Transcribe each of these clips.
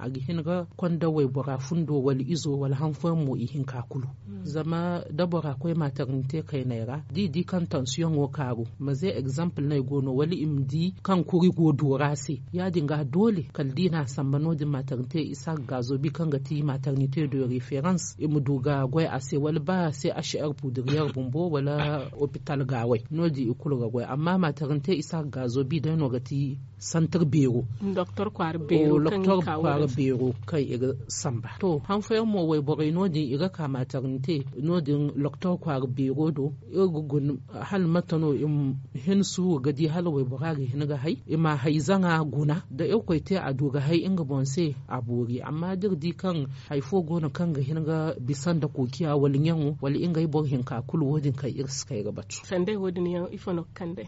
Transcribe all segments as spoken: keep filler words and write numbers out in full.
a ga hin ga konda waybora fundo wala izo wala han fooyaŋ mo ihinka kulu. Zama da bora koy matarnite kayney ra da i di kaŋ tansiyoŋo kaaru, maze egzample no ay go no wala i ma di kaŋ kuri go doora se, ya- din ga doole kala da i n'a samba no- din matarnite i si a ga gaazo bi kaŋ ga ti matarnite de referans i ma du ga goy a se wala ba se a si air pudiriyeer bumbo wala opital gaawey no- din i kulu ga goy amma matarnite i si a ga gaazo bi day no ga ti santir beero. Doktor kwaara beero kaŋ i ga samba to han fooyaŋ mo wayborey no- din i ga ka matarnite no- din doktor kwaara beero do. Iri ga guna hala mate no i ma hin suuru ga di hala waybora ga hin ga hay i ma a hayzaŋa guna da irkoy te a du ga hay nga boŋ se a boori amma da iri di kaŋ hari fo go no kaŋ ga hin ga bisa nda kookiya wala ɲaŋo wala ngey boro hinka kulu wo- din kaŋ iri si kay ga batu.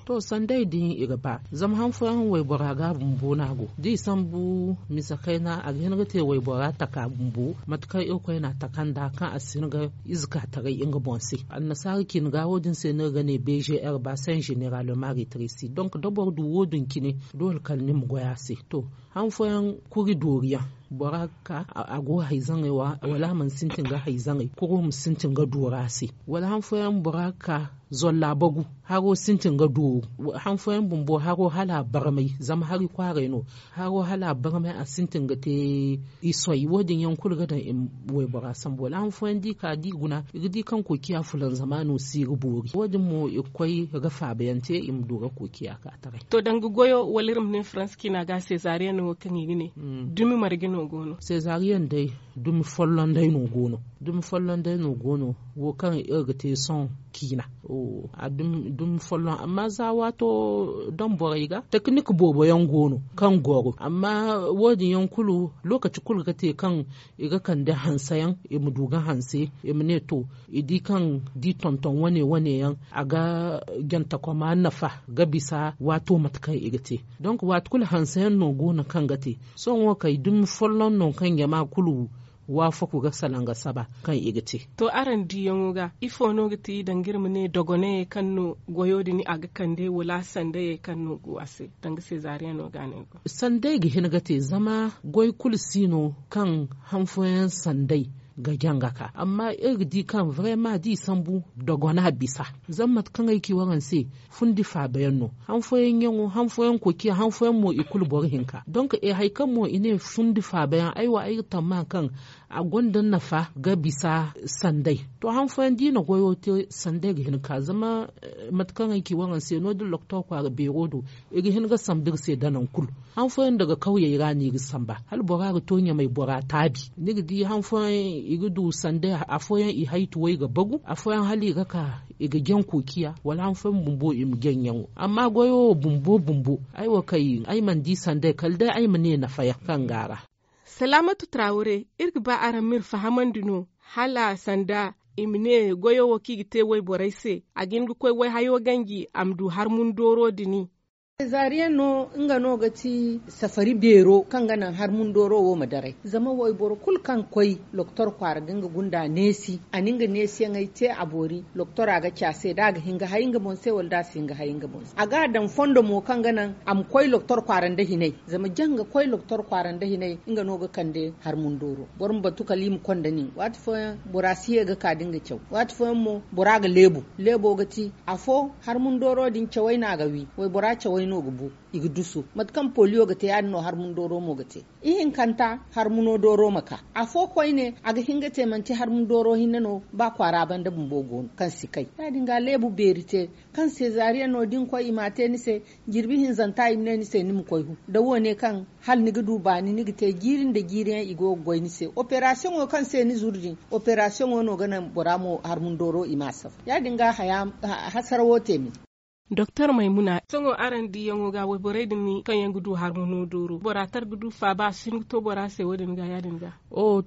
To sanday din i ga ba zama han fooyaŋ waybora ga bumbo no a go da i sambu misa kayna a ga hin ga te waybora taka bumbo mate kaŋ irkoy n'a taka nd'a kaŋ a si hin ga ize ka taray nga boŋ se. Annasaara cine ga wo- din se no iri ga ne bgr ba saint général maritri si donc da boro du wo- din cine doole kala ni ma goy a se. To han fooyaŋ kuri doori yaŋ bora ga ka a go hayzaŋey wala a mana sintin ga hayzaŋey kuro ma sintin ga doora se. Wala han fooyaŋ bora ga ka zolla bagu haro sintin ga dooru. Han fooyaŋ bumbo haro hala a barmay zama hari kwaaray no. Haro hala a barmay a sintin ga te i soy wo- din yaŋ kulu ga daŋ i ma waybora sambu wala han fooyaŋ da i ka da i guna i ga di kaŋ kookiya fulanzama no si ga boori wo- din mo i ga koy ga faabayaŋ te i ma du ga kookiya ka taray. To danga goyo wala iri ma ne faransa ciina ga seezariyaŋ no wo kaŋ i ga ne dumi marje no go no? Seezariyaŋ day dumi folloŋ day no go no. Dumi folloŋ day no go no wo kaŋ iri ga te sohõ ciina. Dumi folloŋ amma za waato daŋ borey ga tekinik boobo yaŋ go no kaŋ goro amma wo- din yaŋ kulu lookaci kulu ga te kaŋ i ga kande hanse yaŋ i ma du ga hanse i ma ne to i di kaŋ da i tonton wane wane yaŋ a ga jantakoma nafa ga bisa waato mate kaŋ i ga te. Donk waati kulu hanse yaŋ no go no kaŋ ga te sohõ wo kay dumi folloŋ no kaŋ jama kulu waafaku ga salaŋ ga saba kaŋ i ga te. To araŋ diyaŋo ga ifo no ga ti danga iri ma ne dogonayey kaŋ no goyo din a ga kande wala sandayey kaŋ no go a se? Danga seezariyaŋo ga no ay go. Sanday ga hin ga te zama goy kulu si no kaŋ han fooyaŋ sanday ga jaŋ ga ka amma iri ga di kaŋ vrema da i sambu dogona bisa. Zama mate kaŋ ay ci waraŋ se fundi faabayaŋ no. Han fooyaŋ ɲaŋo han fooyaŋ koociya han fooyaŋ mo i kulu boro hinka donk e hari kaŋ mo i ne fundi faabayaŋ ay wo ay ga tammaha kaŋ a gonda nafa ga bisa sanday. To han fooyaŋ da i na goyo te sanday ga hin ga ka zama mate kaŋ ay ci waraŋ se no- din loktor kwaara beero do i ga hin ga samba iri se da naŋ kulu. Han fooyaŋ daga kawyey ra no i ga samba hala bora ga to ɲamay bora taabi ni ga di han fooyaŋ i ga du sanday afooyaŋ i haytuwey ga bagu afooyaŋ hala i ga ka i ga jaŋ koociya wala han fooyaŋ bumbo i ma jaŋ ɲaŋo amma goyo wo bumbo bumbo ay wo kay ay mana di sanday kala day ay ma ne nafayaŋ kaŋ go a ra. Salaamatu traawre iri ga ba araŋ ma iri fahamandi no hala sanda i ma ne goyo wo kaŋ i ga te wayborey se a ga hin ga koy wayhayo ganji a ma du harmun dooro dini. Seezariyaŋ no nga no ga ti safari beero kaŋ ga naŋ harmun dooro wo ma daray zama wayboro kulu kaŋ koy loktor kwaara ga nga gunda neesi a na nga neesiyaŋey te a boori. Loktora ga ci a se da a ga hin ga hay nga boŋ se wala da a si hin ga hay nga boŋ se a ga a daŋ fondo mo kaŋ ga naŋ a ma koy loktor kwaara nda hinay zama jaŋ ga koy loktor kwaara nda hinay nga no ga kande harmun dooro. Boro ma batu kala i ma konda nin waati fooyaŋ bora si ye ga ka da nga caw waati fooyaŋ mo bora ga leebu. Leebo ga ti afo harmun dooro din cawey no a ga wi waybora cawey no ga bu i ga dusu mate kaŋ poliyo ga te ya- din no harmun dooro mo ga te. Ihinkanta harmuno dooro ma ka afo koyne a ga hin ga te manti harmun dooro hinne no ba kwaara banda bumbo go no kaŋ si kay ya- din ga leebu beeri te kaŋ seezariyaŋ no da ni koy i m'a te ni se. Jirbi hinzanta i ma ne ni se ni ma koy hu da wo- ne kaŋ hala ni ga du baani ni ga te jiiri nda jiiriyaŋ i go ga goy ni se operasiyoŋo kaŋ se ni zuru din operasiyoŋo no ga naŋ bora mo harmun dooro i m'a safa ya- din ga haya hasara wo te me. Doktor maymuna sohõ araŋ diyaŋo ga wayborey din kaŋ yaŋ ga du harmuno dooro bora tara ga du faaba a si hin ga to bora se wo- din ga ya- din ga?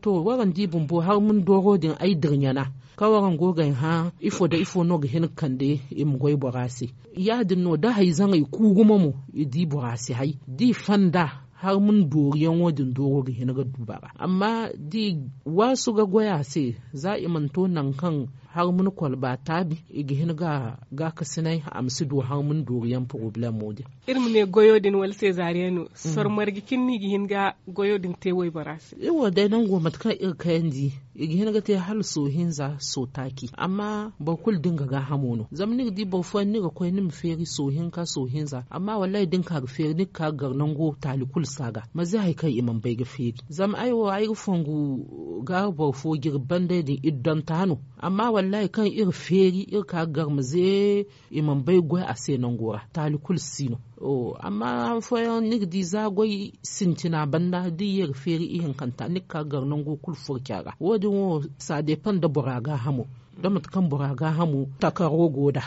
To waraŋ di bumbo harmun dooro din ay dirɲana kaŋ waraŋ go ga ay hã ifo nda ifo no ga hin ga kande i ma goy bora se. Ya- din no da hayzaŋey ku gumo mo i di bora si hay da i fanda harmun dooriyaŋo din dooro ga hin ga du bara amma da i waasu ga goy a se za i mana to nangu kaŋ harmuna kwalba taabi i ga hin ga gaakasinay a ma si du harmuna dooriyaŋ porobalemo din. Iri ma ne goyo din wala seezaariyaŋ no soro marje cine no i ga hin ga goyo din te waybora se. Iri wo day nango mate kaŋ iri kayandi i ga hin ga te hala soohinza sootaaci amma boro kulu da nga gaahamo no zama ni ga di boro fooyaŋ ni ga koy ni ma feeri soohinka soohinza amma wallahi da ni ka ga feeri ni ga ka ga gar nango taali kulu si a ga manze hari kaŋ i mana bay ga feeri. Zama ay wo ay ga fongu gaaru boro fo jirbi banday din iddonta no amma wallahi kaŋ iri feeri iri ka ga gar manze i mana bay ga goy a se nango ra taali kulu si no. Amma han fooyaŋ ni ga di za goy sintina banda da i ye ga feeri ihinkanta ni ga ka ga gar nango kulu furca ra wo- din wo ça dépend da bora gaahamo da mate kaŋ bora gaahamo takaro go nd'a.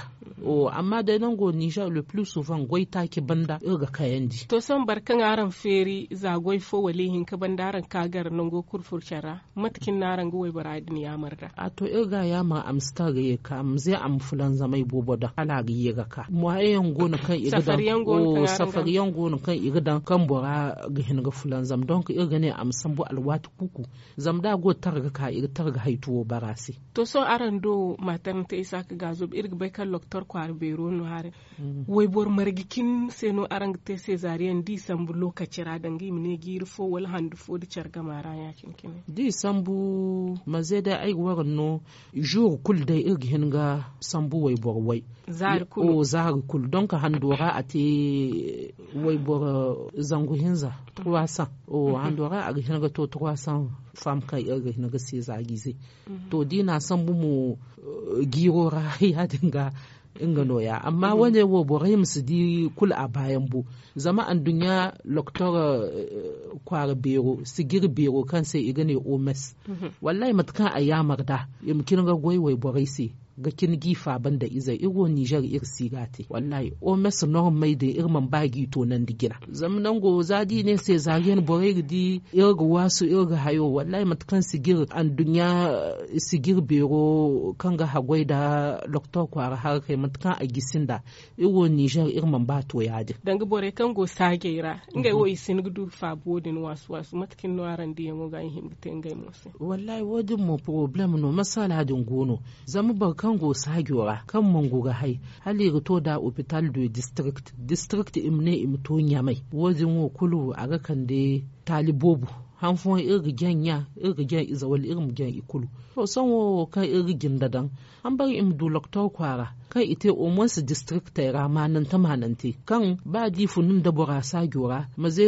Amma day nango ninzeer le plus souvent goy taaci banda iri ga kayandi. To sohõ boro kaŋ araŋ feeri za goy fo wala ihinka banda araŋ ga ka gar nango kulu furca ra mate cine no araŋ ga waybora din yaamar nd'a? A to iri ga a yaamar a ma si ta ga ye ga ka a ma ze a ma fulanzamay boobo daŋ hala a ga ye ga ka moyen yaŋ go no kaŋ i ga daŋ safari yaŋ go no kaŋ i ga daŋ kaŋ bora ga hin ga fulanzam donk iri ga ne a ma sambu alwaati kuuku. Zama da a go ga tara ga ka i ga tara ga haytuwo bara se. To sohõ araŋ do maataranti isaaka gaazo iri ga bay kaŋ loktor kwaara beero no haray. Wayboro marje cine se no araŋ ga te seezaariyaŋ da i sambu lookaci ra danga i ma ne jiiri fo wala handu fo nda care gama ra ya- cine cine. Da i sambu manze day ay ga wara no zuuru kulu day iri ga hin ga sambu wayboro way. Zaari kulu donk hando ra a te wayboro zangu hinza trois cents. Hando ra a ga hin ga to trois cents femme kaŋ iri ga hin ga seezaarize. To da i na a sambu mo jiiro ra ya- din ga nga no- ya amma wane wo borey ma si di kulu a baayaŋ bo. Zama anduɲɲa loktor kwaara beero sijiri beero kaŋ se i ga ne oms. Wallahi mate kaŋ a yaamar nd'a i ma cine ga goy wayborey se ga cine g'i faaba nda izey iri wo ninzeer iri si ga a te wallahi oms normey din iri mana ba g'i toonandi jina. Zama nango za da i ne seezaariyaŋ borey ga di iri ga waasu iri ga hayo wallahi mate kaŋ sijiri anduɲɲa sijiri beero kaŋ ga haggoy nda loktor kwaara harakey mate kaŋ a gisi nd'a. Iri wo ninzeer iri mana ba to ya- din danga borey kaŋ go saajey ra ngey wo i si hin ga du faaba wo- din waasu waasu mate cine no araŋ diyaŋo ga i hin ga te ngey mo se? Wallahi wo- din mo porobalem no masala din go no. Zama boro kaŋ go saajo ra kaŋ mangu ga hay hala i ga to nd'a opital de district district i ma ne i ma to ɲamay wo- din wo kulu a ga kande taali boobo. Han fooyaŋ iri ga jaŋ ɲa iri ga jaŋ ize wala iri ma jaŋ i kulu. To sohõ wo kaŋ iri ga jinde daŋ hambari i ma du loktor kwaara kaŋ i te omonse distriktey ra maanante maanante kaŋ ba da i funu nda bora saajo ra maze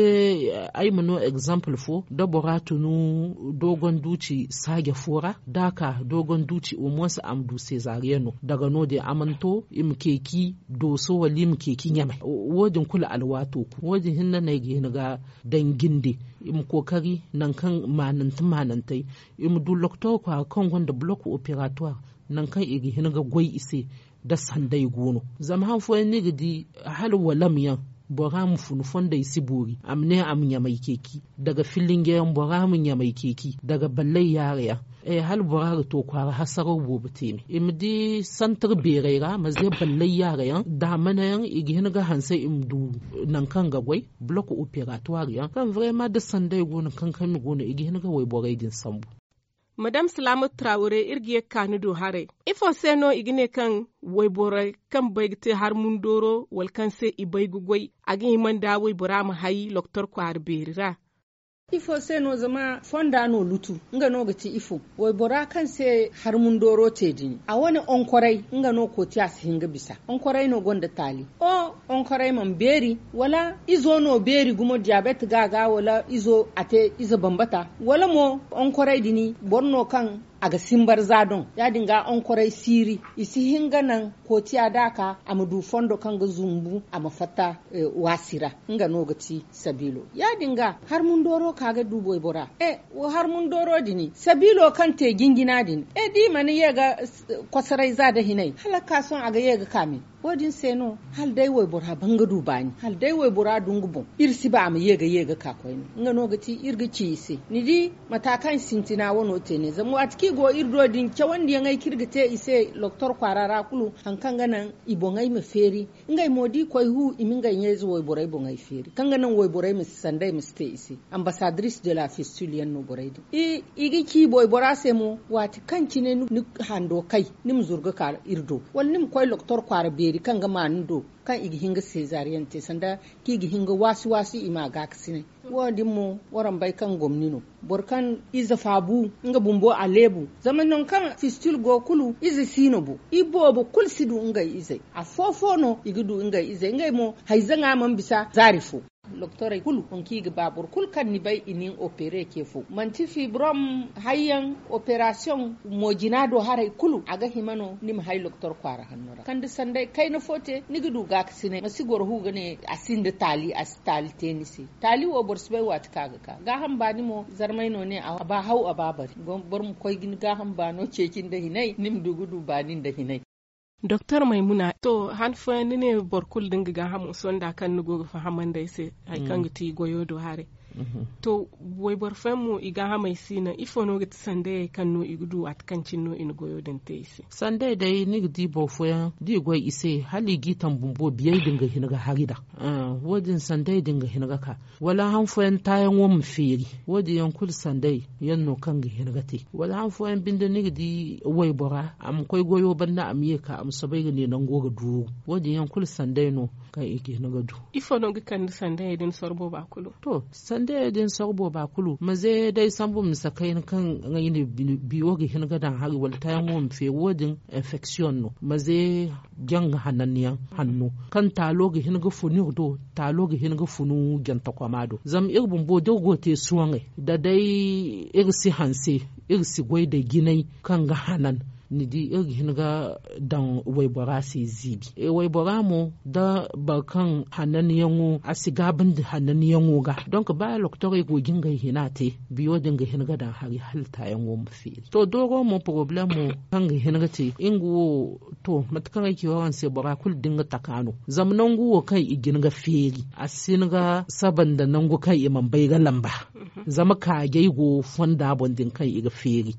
ay ma no egzample fo da bora tunu dogon duuci saaja fo ra da a ka dogon duuci omonse a ma du seezariyaŋo daga no- din a mana to i ma ceeci dooso wala i ma ceeci ɲamay. Wo- din kulu alwaato ku wo- din hinne no ay ga hin ga daŋ jinde i ma kookari nangu kaŋ maanante maanantey i ma du loktor kwaara kaŋ gonda bulok operatwar nangu kaŋ i ga hin ga goy i se. Da sanday go no zama han fooyaŋ ni ga di hala walam yaŋ bora ma funu fondey si boori a ma ne a ma ɲamay ceeci daga filinje yaŋ bora ma ɲamay ceeci daga ballay yaare yaŋ. Hala bora ga to kwaara hasaraw boobo te me i ma di santar beerey ra ma ze ballay yaare yaŋ daamana yaŋ i ga hin ga hanse i ma du nangu kaŋ ga goy bulok operatwar yaŋ kaŋ vrema da sanday go no kankami go no i ga hin ga wayborey din sambu. Madam salaamatu traware iri ga ye ga ka ni do haray ifo se no i ga ne kaŋ wayborey kaŋ bay ga te harmundooro wala kaŋ se i bay ga goy a ga hima nda waybora ma hay loktor kwaara beeri ra? Ifo se no zama fonda no lutu nga no ga ti ifo waybora kaŋ se harmundooro te din a wane onkoray nga no kootiya si hin ga bisa onkoray no gonda taali. O onkoray mana beeri wala izo no beeri gumo diyabet ga a ga wala izo a te ize bambata wala mo onkoray din boro no kaŋ a ga simbar za doŋ ya- din ga onkoray siiri i si hin ga naŋ kootiya da a ka a ma du fondo kaŋ ga zumbu a ma fatta waasi ra. Nga no ga ti sabiilo ya- din ga harmundooro ka ga du boybora. Harmundooro din sabiilo kaŋ te jinjina din da i mana ye ga kosoray za da hinay hala ga ka sohõ a ga ye ga ka me. Wo- din se no, hala day waybora ban ga du baani, hala day waybora du nga boŋ, iri si ba a ma ye ga ye ga ka koyne. Nga no ga ti iri ga ci i se, ni di, mata kaŋ sintina wano te ne, zama waati kaŋ i go iri do din cawandiyaŋey kaŋ iri ga te i se doktor kwaara ra kulu, hari kaŋ ga naŋ i boŋey ma feeri. Ngey mo da i koy hu, i ma ngey ɲayze wayborey boŋey feeri, kaŋ ga naŋ wayborey ma si sanda i ma si te i se. Ambassadrice de la fistule yaŋ no borey din. I ga ci waybora se mo, waati kaŋ cine ni hando kay, ni ma zuru ga ka iri do, wala ni ma koy doktor kwaara beeri kaŋ ga ma ni do, kaŋ i ga hin ga seezariyaŋ te sanda kaŋ i ga hin ga waasi waasi i ma a gaakasinay. Wo- din mo, waraŋ bay kaŋ gomni no, boro kaŋ ize faabu, nga bumbo a leebu. Zama nangu kaŋ fistil go kulu, ize si no bo. I boobo kulu si du ngey izey. Afo-fo no i ga du ngey izey. Ngey mo, hayzaŋa mana bisa zaari fo. Doktorey kulu, nangu kaŋ i ga ba, boro kulu kaŋ ni bay i na ni opere ce fo, manti fibrom, hayyaŋ, operasiyoŋ, moojina do haray kulu, a ga hima no ni ma hay doktor kwaara hanno ra. Kande sanday kayna fo te, ni ga du gaakasinay. Ma si goro hu ga ne a sinda taali, a si taali te ni se. Taali wo, boro si bay waati kaŋ a ga ka. Gaaham baani mo, zarmay no ne a ba haw, a ba bari. Boro ma koy ga ni gaaham baano ceeci nda hinay, ni ma du ga du baani nda hinay. Doktor Maymuna, to, han fooyaŋ ni ne boro kulu da nga gaahamo sonda kaŋ ni go ga fahamandi ay se hari kaŋ ga ti goyo do haray. To, wayboro fooyaŋ mo, i gaahamey si naŋ. Ifo no ga ti sandayey kaŋ no i ga du waati kaŋ cine no i na goyo din te i se? Sandayey day, ni ga di boro fooyaŋ, da i goy i se, hala i g'i taŋ bumbo, biyey din ga hin ga hari daŋ. Wo- din sandayey din ga hin ga ka. Wala han fooyaŋ taayaŋo ma feeri. Wo- din yaŋ kulu sandayey yaŋ no kaŋ ga hin ga te. Wala han fooyaŋ binde ni ga di waybora, a ma koy goyo banda, a ma ye ka, a ma soobay ga ne nango ga duuru. Wo- din yaŋ kulu sandayey no kaŋ i ga hin ga du. Ifo no ga kande sandayey din sorbo ba kulu? To, sandayey din sorbo ba kulu, maze day sambu misa kayna kaŋ ngey ne biyo ga hin ga daŋ hari, wala taayaŋo ma feeri, wo- din infection no. Maze janga hananyaŋ hanno, kaŋ taalo ga hin ga funu iri do, taalo ga hin ga funu jantakwama do. Zama iri bumbo da iri go te sohõ, da day iri si hanse, iri si goy da jinay kaŋ ga hanan, ni di, iri ga hin ga daŋ waybora se ziibi. Waybora mo, da boro kaŋ hananyaŋo, a si gaabandi hananyaŋo ga. Donk, ba doktorey go ga ngey hina te, biyo din ga hin ga daŋ hari hala taayaŋo ma feeri. To, dooro mo, poroblemo kaŋ ga hin ga te, nga wo, to, mate kaŋ ay ci waraŋ se, bora kulu da nga taka no. Zama nangu wo kaŋ i ga hin ga feeri, a si hin ga saba nda nangu kaŋ i mana bay ga lamba. Zama kaajey go fonda boŋ din kaŋ i ga feeri.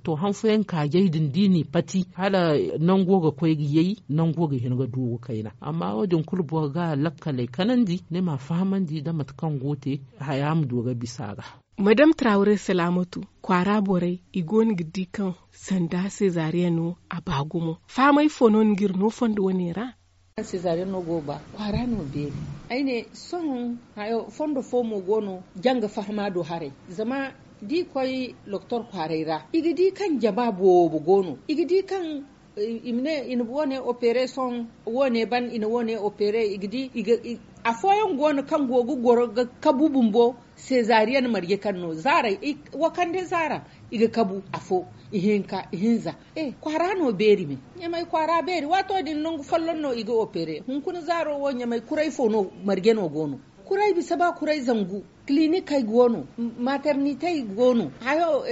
To, han fooyaŋ kaajey din, da i n'i pati, hala nango ga koy ga yay, nango ga hin ga duuru kayna. Amma wo- din kulu boro ga lakkaley kanandi, ni m'a fahamandi da mate kaŋ go te, haya ma du ga bisa a ga. Madam Traoré Salamatu, kwaara borey, i goono ga di kaŋ sanda seezariyaŋo a ba gumo. Fahamay fo no ni g'iri no fondo wane ra? Seezariyaŋo go ba, kwaara no beeri. Ay ne, sohõ hayo, fondo fo mo go no, janga fahama do haray. Zama da i koy doktor kwaaray ra, i ga di kaŋ jama boobo go no. I ga di kaŋ i ma ne i na woone opere sohõ, woone ban, i na woone opere, i ga di, i ga, i, afooyaŋ go no kaŋ go ga goro ga kabu bumbo, seezariyaŋ marje kaŋ no, zaara, i, wo kande zaara, i ga kabu afo, ihinka, ihinza. E, kwaara no beeri me. Ɲamay kwaara beeri, waato din nangu folloŋ no i ga opere. Hunkuna zaaro wo ɲamay kuray fo no, marje no go no. Kuray bisa ba kuray zangu. Kilinikey go no, maternitey go no, hayo,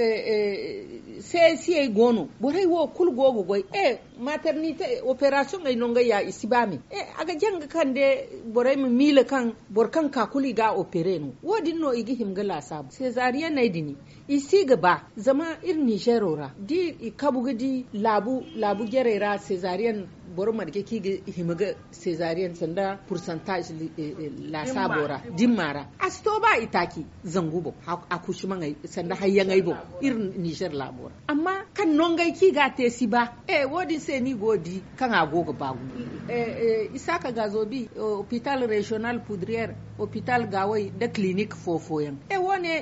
CSIey go no. Borey wo kulu go ga goy. E, maternite, operasiyoŋey no ngey ya, i si ba me. E, a ga janga kande borey ma miila kaŋ boro kaŋ ka kulu i ga opere no. Wo- din no i ga hima ga laasaabu. Seezariyaney din, i si ga ba, zama iri Nizeero ra, da i kabu ga di laabu, laabu jarey ra, seezariyan boro marje kaŋ i ga hima ga seezariyan sanda pursantaaz laasaabo ra, dimma ra. A si to ba itaaci zangu boŋ, akusimaŋey sanda hayyaŋey boŋ, iri Nizer laabo ra. Amma kaŋ nongey kaŋ i ga a te si ba. E, wo- din se no i go ga di kaŋ a go ga ba gumo. Isaaka Gaazobi, opital reziyonal Pudriyeer, opital Gaaway nda kilinik fo-fooyaŋ. E, wo- ne,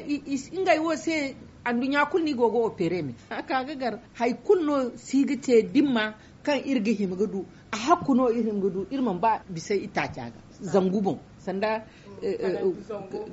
ngey wo se, anduɲɲa kulu no i go ga opere me. A ka ga gar, hari kulu no si ga te dimma kaŋ iri ga hima ga du. A hakku no iri hima ga du, iri mana ba bisa itaaca ga zangu boŋ, sanda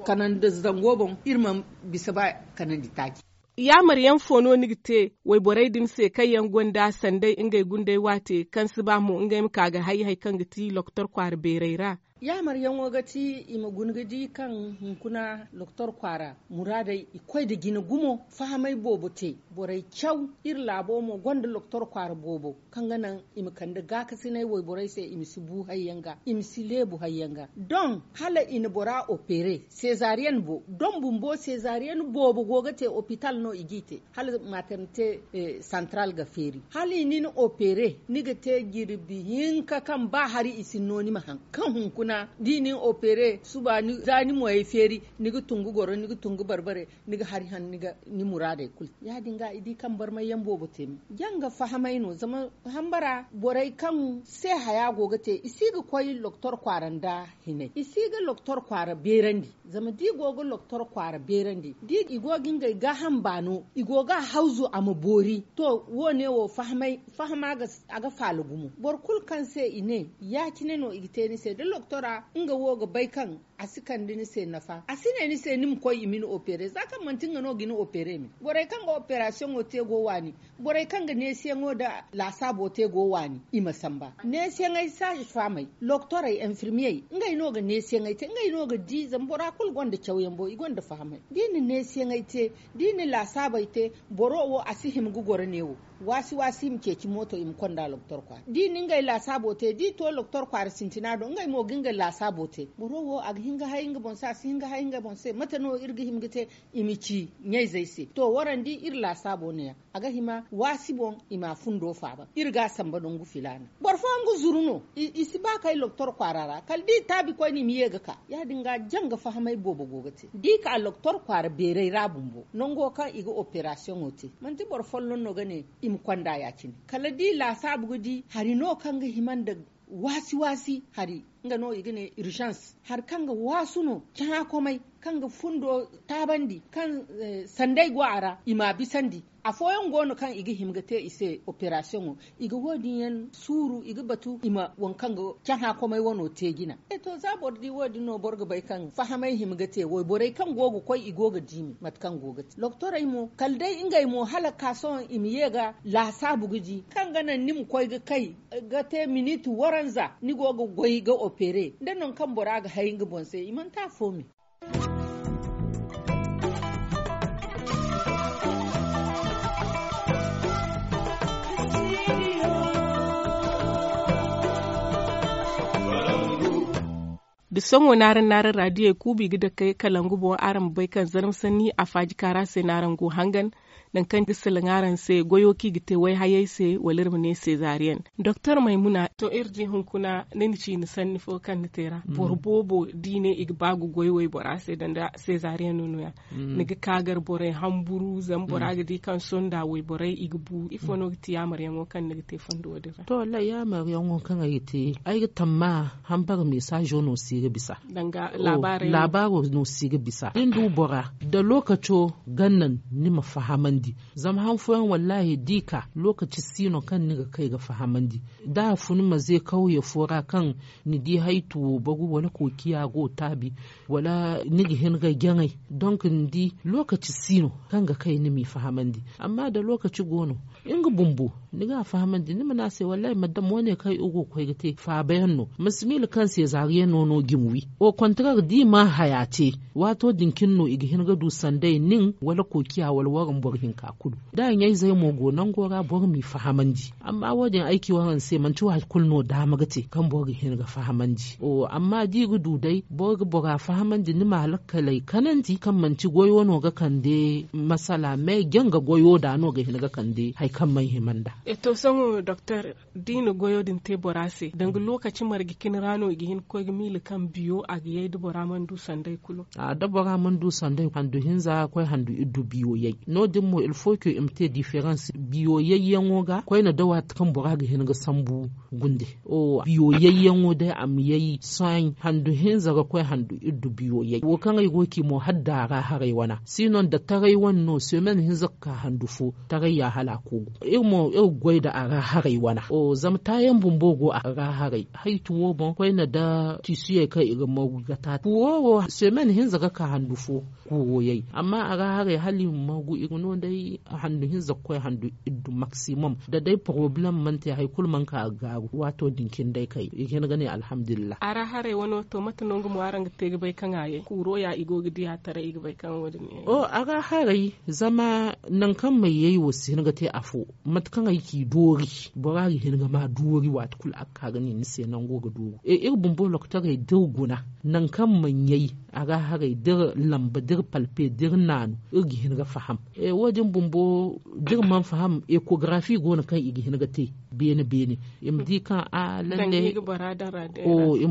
kanandi zango boŋ, iri mana bisa ba kanandi taaci. Yaamar yaŋ fo no ni ga te wayborey din se kaŋ yaŋ gonda sanday ngey gunday waate kaŋ si ba mo ngey ma ka ga hay hari kaŋ ga ti loktor kwaara beerey ra? Yaamaryaŋo ga ti i ma guna ga di kaŋ hunkuna loktor kwaara muraadey i koy nda jina gumo fahamay boobo te. Borey caw iri laabo mo gonda loktor kwaara boobo kaŋ ga naŋ i ma kande gaakasinay wayborey se, i ma si bu hayyaŋ ga, i ma si leebu hayyaŋ ga. Doŋ hala i na bora opere seezariyen bo doŋ bumbo seezariyen boobo go ga te opital no i g'i te. Hala maternite santral ga feeri hala i nin opere ni ga te jirbi hinka kaŋ ba hari i si ni no ni ma haŋ kaŋ hunkuna da i nin opere suba za ni moyey feeri ni ga tungu goro ni ga tungu barbare ni ga hari haŋ ni muraadey kulu. Ya- din ga i di kaŋ barmayyaŋ boobo te me janga fahamay no zama hambara borey kaŋ se haya go ga te i si ga koy loktor kwaara nda hinay i si ga loktor kwaara beerandi. Zama da i go ga loktor kwaara beerandi da i go ga ngey gaaham baano i go ga a hawzu a ma boori to wo- ne wo fahama ga faala gumo boro kulu kaŋ se i ne ya- cine no i ga te ni se da loktora nga wo ga bay kaŋ a si kande ni se nafa a si ne ni se ni ma koy i ma ni opere za kaŋ manti nga no ga ni opere me. Borey kaŋ ga operasiyoŋo te go waani borey kaŋ ga neesiyaŋo nda laasaabo te go waani i ma samba neesiyaŋey saaze faamey loktorey enfirmiyey ngey no ga neesiyaŋey te ngey no ga di zama bora kulu gonda cawyaŋ bo i gonda fahamey da i na neesiyaŋey te da i na laasaabey te boro wo a si hima ga goro neewo waasi waasi i ma ceeci mooto i ma konda loktor kwaara da i na ngey laasaabo te da i to loktor kwaara sintina do ngey mo ga ngey laasaabo te boro wo a ga hin ga hay nga boŋ se a si hin ga hay nga boŋ se mate no iri ga hima ga te i ma ci ɲayzey se to warandi iri laasaabo neeya a ga hima waasi boŋ i ma a fundo faaba iri ga a samba nangu filaana. Boro fooyaŋ ga zuru no i si ba kay loktor kwaara ra kala da i taabi koyne i ma ye ga ka ya- din ga janga fahamay boobo go ga te da i ka loktor kwaara beeray ra bumbo nango kaŋ i ga operasiyoŋo te manti boro folloŋ no ga ne i ma konda ya- cine kala da i laasaabu ga di hari no kaŋ ga hima nda waasi waasi hari nga no i ga ne irzans hari kaŋ ga waasu no cahãkomey kaŋ ga fundo taabandi kaŋ sanday go a ra i m'a bisandi. Afooyaŋ go no kaŋ i ga hima ga te i se operasiyoŋo i ga wo- din yaŋ suuru i ga batu i ma waŋ kaŋ ga cahãkomey wano te jina. E to za boro di wo- din no boro ga bay kaŋ fahamay hima ga te wayborey kaŋ go ga koy i go ga diimi mate kaŋ go ga te loktorey mo kala day ngey mo hala ka sohõ i ma ye ga laasaabu ga di kaŋ ga naŋ ni ma koy ga kay ga te miniti waranza ni go ga goy ga opere nda nangu kaŋ bora ga hay nga boŋ se i manti afo me. Da sohõ naaraŋ naaraŋ raadiyey kuubu i ga dake kalangu boŋ araŋ ma bay kaŋ zarma sanni a faaji kaara se no araŋ go hangan. Nangu kaŋ ga salaŋ araŋ se goyo kaŋ i ga te wayhayey se wala iri ma ne seezariyen doktor maymuna to iri di hunkuna ni na ciini sanni fo kaŋ ni te ra boro boobo da i ne i ga ba ga goy waybora se danga seezariyen no nooya. Ni ga ka gar borey hamburu zama bora ga di kaŋ sonda wayborey i ga bu ifo no ga ti yaamaryaŋo kaŋ ni ga te fondo wo- din ra to wallaahi yaamaryaŋo kaŋ ay ga te ay ga tamma hambara mesazo no si ga bisa. Laabaro no si ga bisa da ni du bora da lookaco ga naŋ ni ma fahamandi. Zama han fooyaŋ wallaahi da i ka lookaci si no kaŋ ni ga kay ga fahamandi da a fun maze kawye fo ra kaŋ ni di haytu wo bagu wala kookiya go taabi wala ni ga hin ga jaŋay. Donk ni di lookaci si no kaŋ ga kay ni m'i fahamandi. Amma da lookaci go no nga bumbo ni ga a fahamandi ni ma ne a se wallaahi madam wo- ne kaŋ i go ga koy ga te faabayaŋ no ma si miila kaŋ seezariyaŋo no ga i ma wi. Au kontareer da i mana haya te waato din cine no i ga hin ga du sanday nin wala kookiya wala waraŋ boro hinka kulu. Da ɲayzey mo go nango ra boro m'i fahamandi. Amma wo- din ay ci waraŋ se manti waati kulu no daama ga te kaŋ boro ga hin ga fahamandi. Amma da i ga du day boro ga bora fahamandi ni ma lakkaley kanandi kaŋ manti goyo no ga kande masala me janga goyo da no ga hin ga kande hari kaŋ mana hima nd'a. To sohõ doktor da i na goyo din te bora se danga lookaci marje cine ra no i ga hin ga koy ga miila kaŋ biyo a ga yay da bora mana du sanday kulu. Da bora mana du sanday handu hinza koy handu iddu biyo yay. No- din mo ilfo ke i ma te diferans biyo yayyaŋo ga koyne da waati kaŋ bora ga hin ga sambu gunde. Biyo yayyaŋo day a ma yay sohõ handu hinza ga koy handu iddu biyo yay wo kaŋ ay go ga ci mo hala da a ra haray wana si no nda taray wane no semen hinza ga ka handu fo taray ya hala a koogu. Iri mo iri ga goy nda a ra haray wana zama taayaŋ bumbo go a ra haray haytu wo boŋ koyne nda tiisiyey. kaŋ i ga moogu ga taata kuuro wo semen hinza ga ka handu fo. Kuuro yay amma a ga haray hala i ma moogu i ga no day handu hinza ga koy handu iddu maksimom da day poroblem mana te hari kulu mana ka ga gaaru waato din cine day kay i ga hin ga ne alhamdulillah. A ra haray wano to mate no nga mo araŋ ga te ga bay kaŋ a yay kuuro ya i go ga di a taray i ga bay kaŋ wo- din yay. O a ra haray zama nangu kaŋ may yay wo si hin ga te afo mate kaŋ ay ci doori bora ga hin ga ma doori waati kulu a ga ka ga ne ni se nango ga dooru iri bumbo lokotorey da iri guna nangu kaŋ maɲɲay a ga haray da iri lamba da iri palpe da iri naanu iri ga hin ga faham. Wo- din bumbo da iri mana faham ekografi go no kaŋ i ga hin ga te beene beene i ma di kaŋ a lalle i ma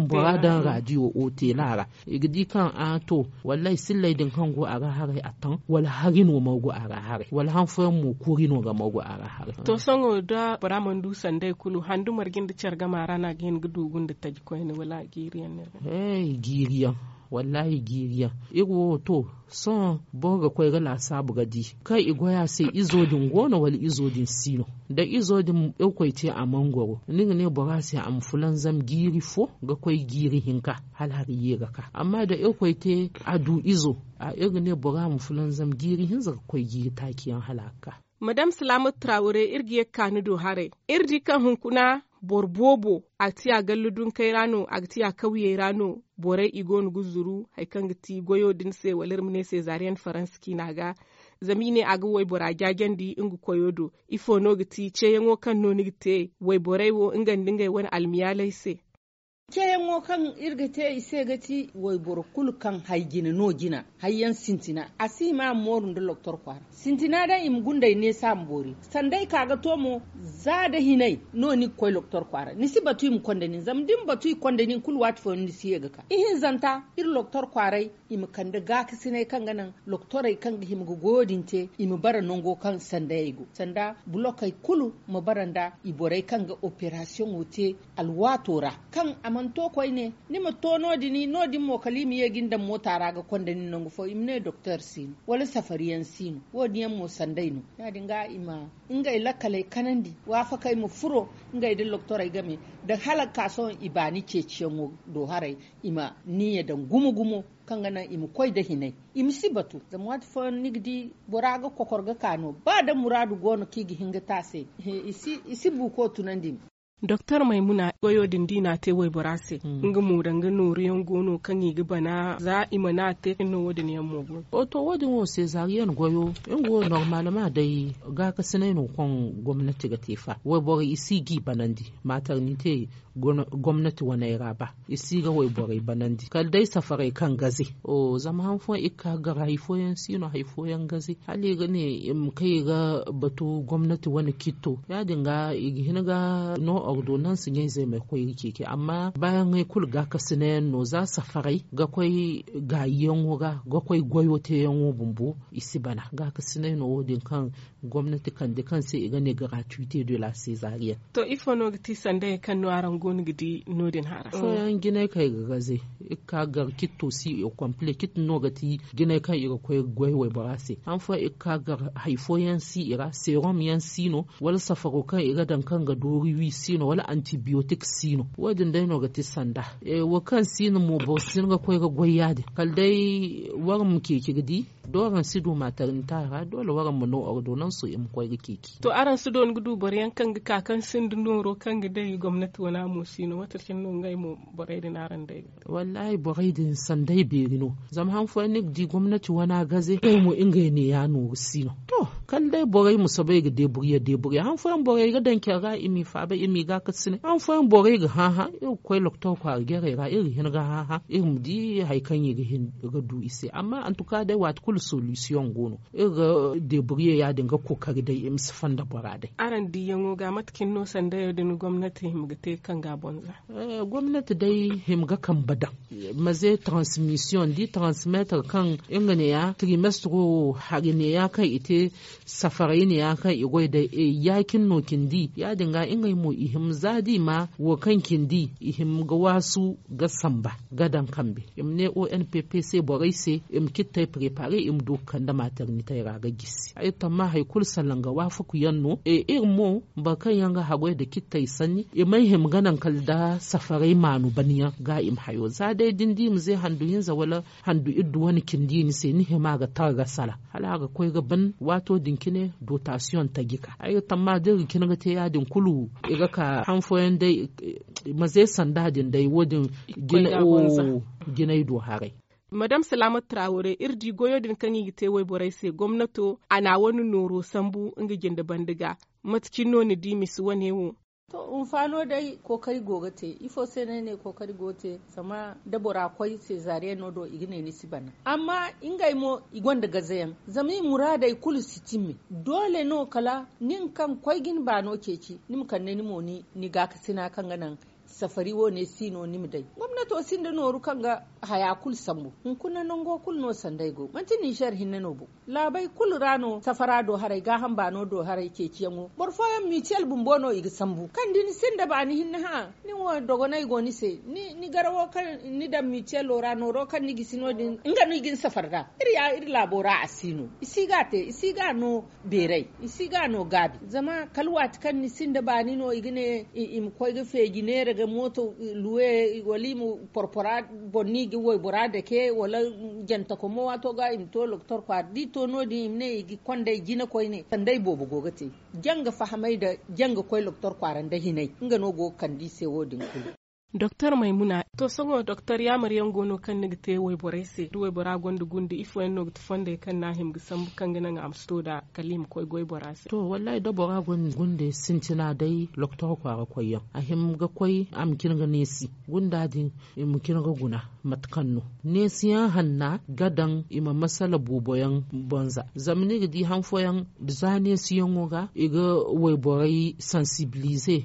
bora daŋ radiyo o tela ra i ga di kaŋ a to wallaahi silley din kaŋ go a ga haray a taŋ wala hari no ma go a ga haray wala han fooyaŋ mo koori no ga ma go a ga haray. To sohõ da bora mana du sanday kulu handu marje nda care game a ra no a ga hin ga duugu nda taji koyne wala a jiiri yaŋ no iri ga he jiiri yaŋ. Wallaahi jiiri yaŋ iri wo to sohõ boro ga koy ga laasaabu ga di kaŋ i goy a se izo din go no wala izo din si no? Da izo din irkoy te a mana goro ni ga ne bora se a ma fulanzam jiiri fo ga koy jiiri hinka hala hari ye ga ka amma da irkoy te a du izo a iri ga ne bora ma fulanzam jiiri hinza ga koy jiiri taaci yaŋ hala a ga ka. Madam salaamatu trawure iri ga ye ga ka ni do haray iri di kaŋ hunkuna boro boobo a ga ti a gallu dunkey ra no a ga ti a kawyey ra no borey i go no ga zuru hari kaŋ ga ti goyo din se wala iri ma ne seezariyen faransa ciina ga. Zama i ne a ga waybora jaajandi nga koyo do ifo no ga ti ceeyaŋo kaŋ no ni ga te wayborey wo nga nda ngey wane almiyaaley se? Ceeyaŋo kaŋ iri ga te i se ga ti wayboro kulu kaŋ hari jina no jina hari yaŋ sintina a si hima a ma mooru nda loktor kwaara sintina day i ma gundey neesa ma boori sanda ay ka ga to mo. Za da hinay no ni ga koy loktor kwaara ni si batu i ma konda nin zama da ni batu i konda nin kulu waati fooyaŋ ni si ye ga ka ihinzanta iri loktor kwaaray i ma kande gaakasinay kaŋ ga naŋ loktorey kaŋ ga hima ga goyo din te i ma bara nango kaŋ sandayey go sanda bulokey kulu ma bara nda i borey kaŋ ga operasiyoŋo te alwaato ra kaŋ a mana to koyne ni ma to no- din no- din mo kala i ma ye ga ni daŋ moota ra ga konda nin nangu fo i ma ne doktor si no wala safariyaŋ si no wo- din yaŋ mo sanday no ya- din ga i ma ngey lakkaley kanandi waafakey ma furo ngey nda loktorey game da hala ga ka sohõ i baani ceeciyaŋo do haray i ma niiya daŋ gumo gumo kaŋ ga naŋ i ma koy nda hinay i ma si batu zama waati fooyaŋ ni ga di bora ga kokor ga ka no ba da muraadu go no kaŋ i ga hin ga te a se i si buuko tunandi. Doktor maymuna goyo din da i n'a te waybora se nga mo danga nooru yaŋ go no kaŋ i ga bana za i mana a te no wo- din yaŋ mo go no? To wo- din wo seezariyen goyo nga wo normalement day gaakasinay no kaŋ gomnati ga te fa wayboro i si ga i banandi maaternite gomnati waney ra ba i si ga wayborey banandi kala day safarey kaŋ gaze. Zama han fooyaŋ i ga ka ga gar hari fooyaŋ si no hari fooyaŋ gaze hala i ga ne i ma kay i ga batu gomnati wane kitto ya- din ga i ga hin ga no ordonanse ɲayzey ma koy ga ceeci amma baayaŋey kulu gaakasinay yaŋ no za safarey ga koy gaayiyaŋo ga ga koy goyo teeyaŋo bumbo i si bana gaakasinay no wo- din kaŋ gomnati kande kaŋ se i ga ne gratuite de la seezariyen. To ifo no ga ti sandayey kaŋ no araŋ go no ga di no- din hara? Fooyaŋ jinay kaŋ i ga gaze i ga ka gar kitto si i ga komple kitti no ga ti jinay kaŋ i ga koy ga goy waybora se han fooyaŋ i ga ka gar hari fooyaŋ si i ra seerom yaŋ si no wala safaro kaŋ i ga daŋ kaŋ ga doori wi si no wala antibiyotik si no wo- din day no ga ti sanda. Wo kaŋ si no mo boro si hin ga koy ga goy ya- din kala day waraŋ ma ceeci ga di da waraŋ si du maaternita ra doole waraŋ ma no ordonanso i ma koy ga ceeci. To araŋ si doona ga du boro yaŋ kaŋ ga ka kaŋ sinda nooro kaŋ ga day gomnati wana mo si no mate cine no ngey mo borey din araŋ day ga? Wallaahi borey din sanday beeri no zama han fooyaŋ ni ga di gomnati wana gaze ngey mo ngey neeya nooru si no. To kala day borey ma soobay ga deeburye deeburye han fooyaŋ borey ga daŋ care ra i m'i faaba i m'i gaakasinay han fooyaŋ borey ga hããhã iri ga koy loktor kwaara jarey ra iri ga hin ga hããhã iri ma di hari kaŋ i ga hin ga du i se amma antuka day waati kulu solisiyoŋ go no iri ga deeburye ya- din ga kookari day i ma si fonda bora day. Araŋ diiyaŋo ga mate cine no sandayo din gomnati hima ga te kaŋ ga a boŋ za? Gomnati day hima ga kambe daŋ maze transmisiyoŋ da i transmetre kaŋ nga neeya trimestro wo hari neeya kaŋ i te Safaray ne ya kaŋ i goy day. Ya- cine no cindi ya- din ga ngey mo i hima za da i ma wo kaŋ cindi i hima ga waasu ga samba ga daŋ kambe. I ma ne o n p p se borey se i ma cittey preparer i ma du ga kande maternitey ra ga gisi. Ay tamma hari kulu salaŋ ga waafaku yaŋ no. Iri mo boro kaŋ yaŋ ga haggoy nda cittey sanni i may hima ga naŋ kala nda safaray maanu ban yaŋ ga i ma hayo za day da ni di i ma ze handu hinza wala handu iddu wane cindi ni se ni hima ga tara ga sala hala a ga koy ga ban waato din cine dotasiyoŋ taji ka ay ga tamma da iri ga cine ga te ya- din kulu i ga ka han fooyaŋ day. Ma ze sanda din day wo- din jinay do haray. Madame salaamatu traaware iri di goyo din kaŋ i ga te wayborey se gomnato a na a wane nooro sambu nga jinde banda ga. Mate cine no ni di misi wane wo? To hinfaano day kookari go ga te ifo se no ay ne kookari go ga te? Zama da bora koy seezariyaŋo do i ga ne ni si bana amma ngey mo i gonda gazayaŋ zama i muraadey kulu si timme. Doole no kala nin kaŋ koy ga ni baano ceeci ni ma kande ni mo ni gaakasina kaŋ ga naŋ safari wo ne si no ni ma day. Gomnato sinda nooru kaŋ ga haya kulu sambu. Hunkuna nango kulu no sanday go manti ninzeer hinne no bo. Laabey kulu ra no safara do haray gaaham baano do haray ceeciyaŋo boro fooyaŋ mutuel bumbo no i ga sambu kaŋ da ni sinda baani hinne hã. Ni wo dogonay go ni se ni garawo kaŋ ni daŋ mutuelo ra nooro kaŋ ni gisi no- din nga no i ga ni safar nd'a. Iri ya iri laabo ra a si no i si ga a te i si ga a no beeray i si ga a no gaabi zama kala waati kaŋ ni sinda baani no i ga ne i ma koy ga feeji neera ga mooto luwe wala i ma porpora boŋ no i ga waybora dake wala jantako mo waato ga i ma to doktor kwaara da i to no- din i ma ne i ga konday jina koyne sanday boobo go ga te. Janga fahamay nda janga koy doktor kwaara nda hinay nga no go ga kande i se wo- din kulu. Doktor maymuna to sohõ doktor yaamar yaŋ go no kaŋ ni ga te wayborey se da waybora gonda gunde ifo yaŋ no ga ti fondey kaŋ no a hima ga sambu kaŋ ga naŋ a ma si to nd'a kala i ma koy goy bora se? To wallaahi da bora gonda gunde sintina day doktor kwaara koyyaŋ a hima ga koy a ma cine ga neesi gunda din i ma cine ga guna. Mate kaŋ no neesiyaŋ hanna ga daŋ i ma masala booboyaŋ boŋ za zama ni ga di han fooyaŋ za neesiyaŋo ga i ga wayborey sansibilize.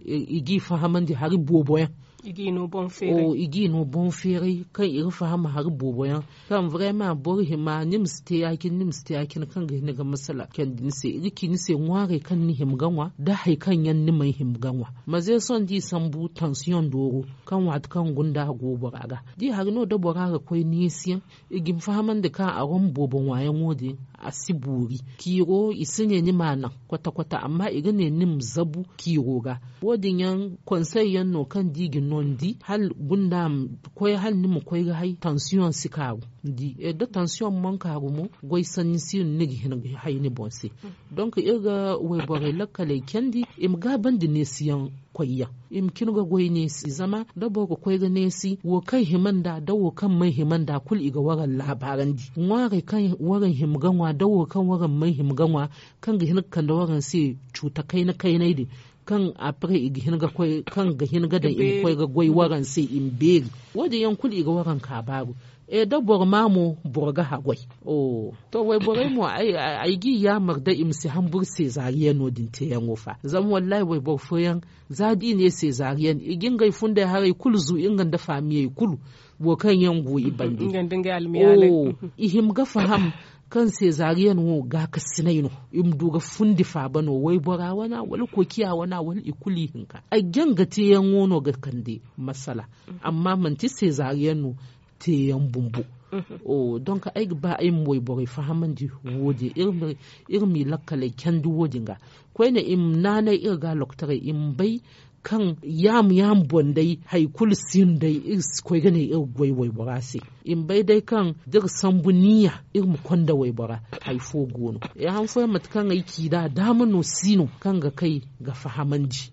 I g'i fahamandi hari booboyaŋ i g'i no boŋ feeray kaŋ i ga faham hari booboyaŋ kaŋ vrema boro hima ni ma si te ya- cine ni ma si te ya- cine kaŋ ga hin ga masala candi ni se i ga ci ni se ŋwaarey kaŋ ni hima ga ŋwa da hari kaŋ yaŋ ni may hima ga ŋwa. Ma ze sohõ da i sambu tansiyoŋ dooro kaŋ waati kaŋ gunda go bora ga da i hari no da bora ga koy neesiyaŋ i ga ni fahamandi kaŋ a wane boobo ŋwaayaŋo din a si boori. Ciiro i si ne ni m'a naŋ kwata kwata amma i ga ne ni ma zabu ciiro ga. Wo-din yaŋ konsey yaŋ no kaŋ da i ga noondi hala gunda ma koy hala ni ma koy ga hay tansiyoŋ si kaaru. Ni di da tansiyoŋ mana kaaru mo goy sanni si no ni ga hin ga hay ni boŋ se. Donk iri ga wayborey lakkaley candi i ma gaabandi neesiyaŋ koyyaŋ i ma cine ga goy neesi zama da boro ga koy ga neesi wo kaŋ hima nd'a da wo kaŋ may hima nd'a kulu i ga waraŋ laabaarandi ŋwaarey kaŋ waraŋ hima ga ŋwa da wo kaŋ waraŋ may hima ga ŋwa kaŋ ga hin ga kande waraŋ se cuuta kayna kaynay din kaŋ après i ga hin ga koy kaŋ ga hin ga daŋ i ma koy ga goy waraŋ se i ma beeri. Wo- din yaŋ kulu i ga waraŋ kaabaaru. E da boro ma mo boro ga haggoy. To wayborey mo ay g'i yaamar day i ma si hamburu seezariyano din teeyaŋo fa zama wallaahi wayboro fooyaŋ za da i ne seezariyan i ga ngey fundey haray kulu zu nga nda faamiyey kulu wo kaŋ yaŋ go i bande. I hima ga faham kaŋ seezariyan wo gaakasinay no i ma du ga fundi faaba no waybora wana wala koociya wana wala i kulu i hinka ay jaŋ ga teeyaŋo no ga kande masala. Amma manti seezariyan no teeyaŋ bumbo. Donk ay ga ba ay ma wayborey fahamandi wo- din iri m'i lakkaley candi wo- din ga koyne i ma naanay iri ga loktorey i ma bay kaŋ yaamu yaamu boŋ day hari kulu si no day iri si koy ga ne iri ga goy waybora se. I ma bay day kaŋ da iri sambu niya iri ma konda waybora hari fo go no. Han fooyaŋ mate kaŋ ay ci nd'a daama no si no kaŋ ga kay ga fahamandi.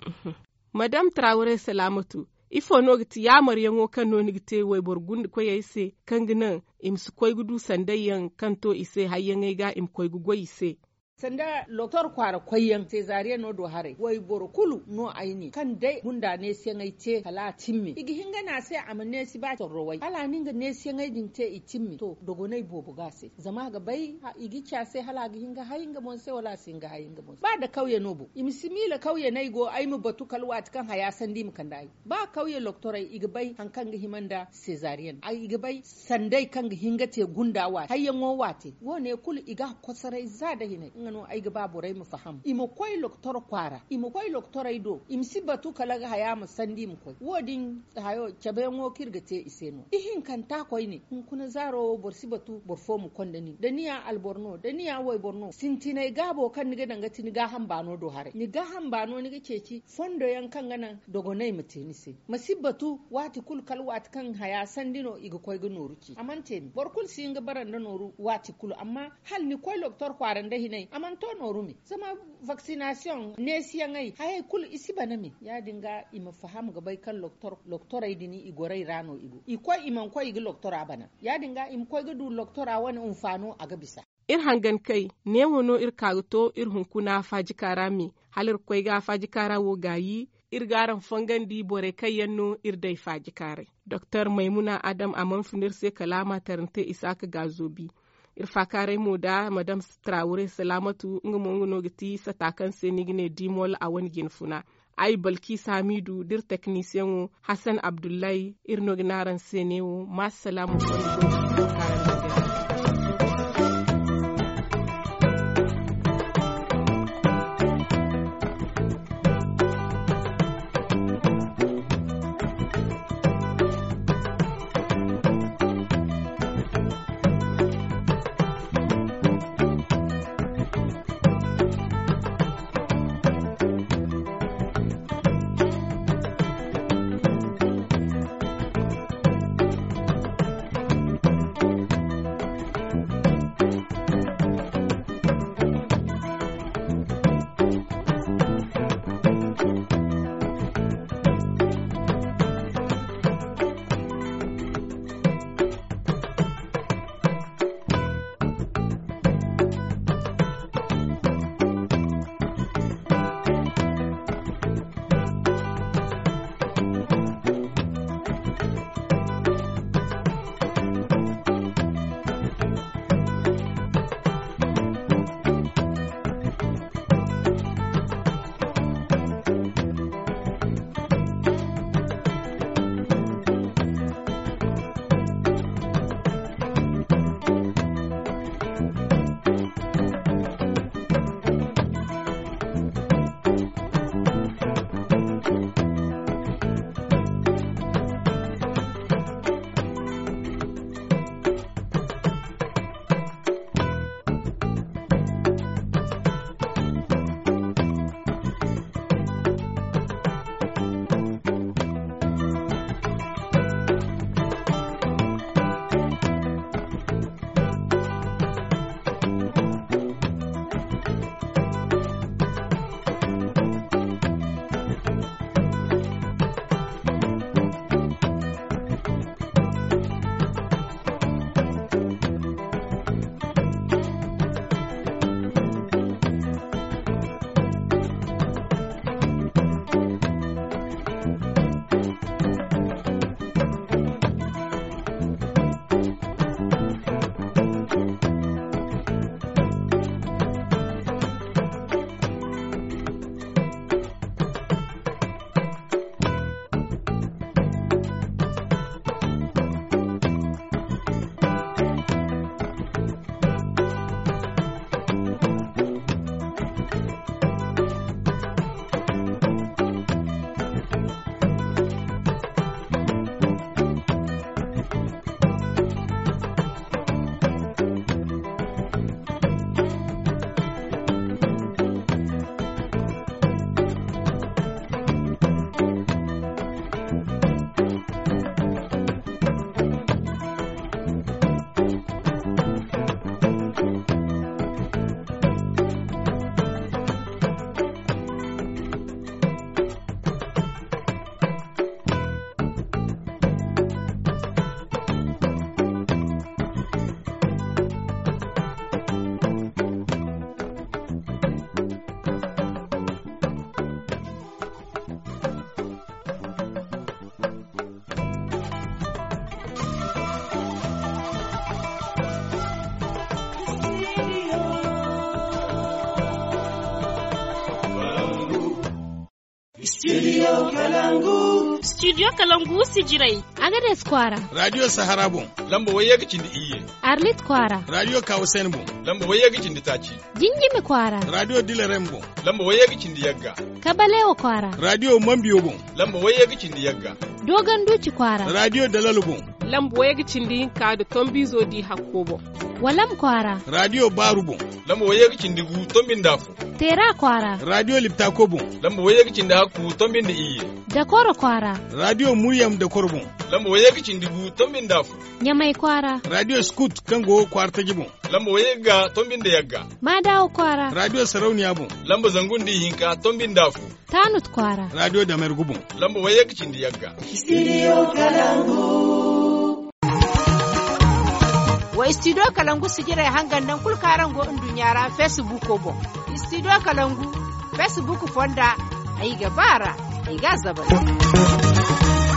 Madame traaware salaamatu, ifo no ga ti yaamaryaŋo kaŋ no ni ga te wayboro gunde koyey se kaŋ ga naŋ i ma si koy ga du sanday yaŋ kaŋ to i se hayyaŋey ga i ma koy ga goy i se? Sanda loktor kwaara koyyaŋ seezariyano do haray wayboro kulu no ay ne kaŋ day gunda neesiyaŋey te kala a timme i ga hin ga ne a se a ma neesi ba torrowey hala a na nga neesiyaŋey din te i timme to dogoney boobo ga a se zama a ga bay i ga ci a se hala a ga hin ga hay nga boŋ se wala a si hin ga hay nga boŋ se ba nda kawye no boŋ i ma si miila kawye no ay go ay ma batu kala waati kaŋ haya sanda i ma kande ay. Ba kawye loktorey i ga bay hari kaŋ ga hima nda seezariyen i ga bay sanday kaŋ ga hin ga te gunda waate hayyaŋo waate wo- ne kulu i ga a kosoray za nda hinay. Nga no ay ga ba borey ma faham, i ma koy loktor kwaara, i ma koy loktorey do, i ma si batu kala ga haya ma sandi i ma koy. Wo- din hayo cabeyaŋo kaŋ iri ga te i se no. Ihinkanta koyne, hunkuna zaaro wo boro si batu boro fo ma konda nin da ni ya alboro no, da ni ya wayboro no, sintinay gaabo kaŋ ni ga daŋ ga ti ni gaaham baano do haray. Ni gaaham baano ni ga ceeci fondo yaŋ kaŋ ga naŋ dogonay ma te ni se. Ma si batu waati kulu kala waati kaŋ haya sandi no i ga koy ga nooru ci a mana te ni. Boro kulu si hin ga bara nda nooru waati kulu, amma hala ni koy loktor kwaara nda hinay a mana to nooru me. Zama vaksinasiyoŋ neesiyaŋey hayey kulu i si bana me. Ya- din ga i ma faham ga bay kaŋ loktorey din i gorey ra no i go, i koy i mana koy i ga loktora bana. Ya- din ga i ma koy ga du loktora wane hunfaano a ga bisa. Iri hangan kay, neewo no iri ka ga to iri hunkuna faajika ra me. Hala iri ga koy ga faajika ra wo gaayi, iri ga araŋ fongandi borey kaŋ yaŋ no iri day faajikaaray. Doktor maymuna adam a mana fun iri se kala a ma tarante isaaka gaazoobi. Iri faakaaray mo da madam trawure salaamatu nga mo nga no ga ti sata kaŋ se ni ga ne dimol a wane jine funa. Ay balkis hamidu da iri teknisiyaŋo hasan abdullahi iri no ga ne araŋ se neewo ma salaamu. Studio Kalangu. Studio Kalangu sijirai. Agades kwaara. Radiyo sahara boŋ. Lamba wayye ga cindi iyye. Arlit kwaara. Radiyo kawusen boŋ. Lamba wayye ga cindi taaci. Jinjimi kwaara. Radiyo dilarem boŋ. Lamba wayye ga cindi yagga. Kabalewa kwaara. Radiyo mambiyo boŋ. Lamba wayye ga cindi yagga. Dogon duci kwaara. Radiyo dalalo boŋ. Lamba wayye ga cindi hinka da tombizo di hakko boŋ. Walam kwaara. Radiyo baaru boŋ. Lamba wayye ga cindi gu tombinda fo. Teera kwaara. Radiyo liptako boŋ. Lamba wayye ga cindi hakku tombinda iyye. Dakoro kwaara. Radiyo muryam dakoro boŋ. Lamba wayye ga cindi gu tombinda fo. Ɲamay kwaara. Radiyo skut kaŋ go kwaara taji boŋ. Lamba wayye ga tombinda yagga. Maadawo kwaara. Radiyo sarauniya boŋ. Lamba zangu nda ihinka tombinda fo. Taanut kwaara. Radiyo damergu boŋ. Lamba wayye ga cindi yagga. Wa studio kalangu sijirey hangan naŋ kulu kaŋ araŋ go nduɲɲa ra facebook boŋ. Studio kalangu facebook fonda. Ay ga ba ra. Ay ga a zabari.